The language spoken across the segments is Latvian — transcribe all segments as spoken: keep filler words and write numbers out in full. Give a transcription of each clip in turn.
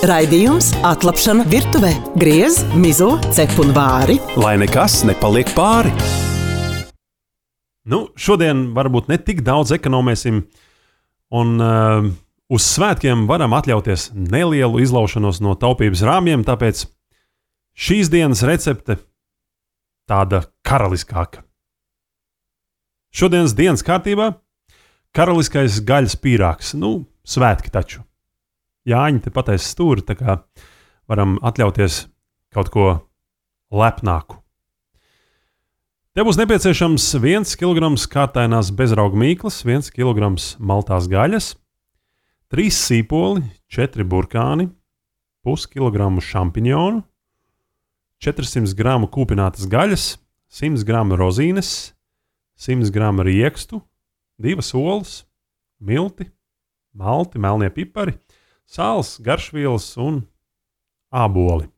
Raidījums Atlapšana virtuvē. Griez, mizo, cep un vāri. Lai nekas nepaliek pāri. Nu, šodien varbūt ne tik daudz ekonomēsim, un uh, uz svētkiem varam atļauties nelielu izlaušanos no taupības rāmjiem, tāpēc šīs dienas recepte tāda karaliskāka. Šodienas dienas kārtībā karaliskais gaļas pīrāgs, nu, svētki taču. Jāņi te pateic stūri, tā kā varam atļauties kaut ko lepnāku. Te būs nepieciešams viens kilograms kārtainās bezrauga mīklas, viens kilograms maltās gaļas, trīs sīpoli, četri burkāni, puskilogramu šampiņonu, četri simti gramu kūpinātas gaļas, simt gramu rozīnes, simt gramu riekstu, divas olas, milti, malti, melnie pipari, sāls, garšvielas un āboli.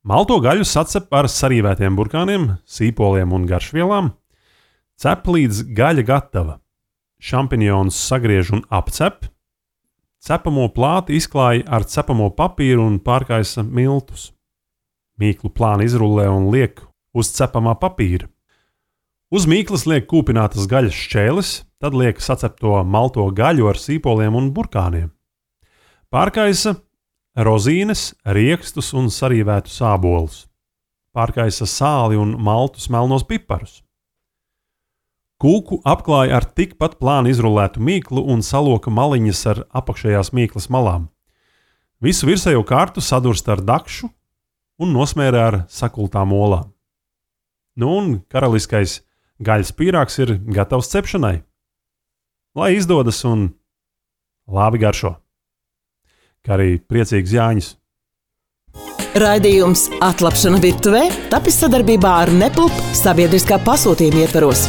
Malto gaļu sacep ar sarīvētiem burkāniem, sīpoliem un garšvielām. Cep līdz gaļa gatava. Šampiņonus sagriež un apcep. Cepamo plāti izklāj ar cepamo papīru un pārkaisa miltus. Mīklu plāni izrullē un liek uz cepamā papīra. Uz mīklas liek kūpinātas gaļas šķēles, tad liek sacepto malto gaļu ar sīpoliem un burkāniem. Pārkaisa rozīnes, riekstus un sarīvētu sābolus. Pārkaisa sāli un maltus melnos piparus. Kūku apklāja ar tikpat plāni izrullētu mīklu un saloka maliņas ar apakšējās mīklas malām. Visu virsējo kārtu sadurst ar dakšu un nosmērē ar sakultām olām. Nu un karaliskais gaļas pīrāgs ir gatavs cepšanai. Lai izdodas un labi garšo. Kā arī priecīgs Jāņus. Raidījums Atlapšana virtuvē tapis sadarbībā ar Nepulp sabiedriskā pasūtījuma ietvaros.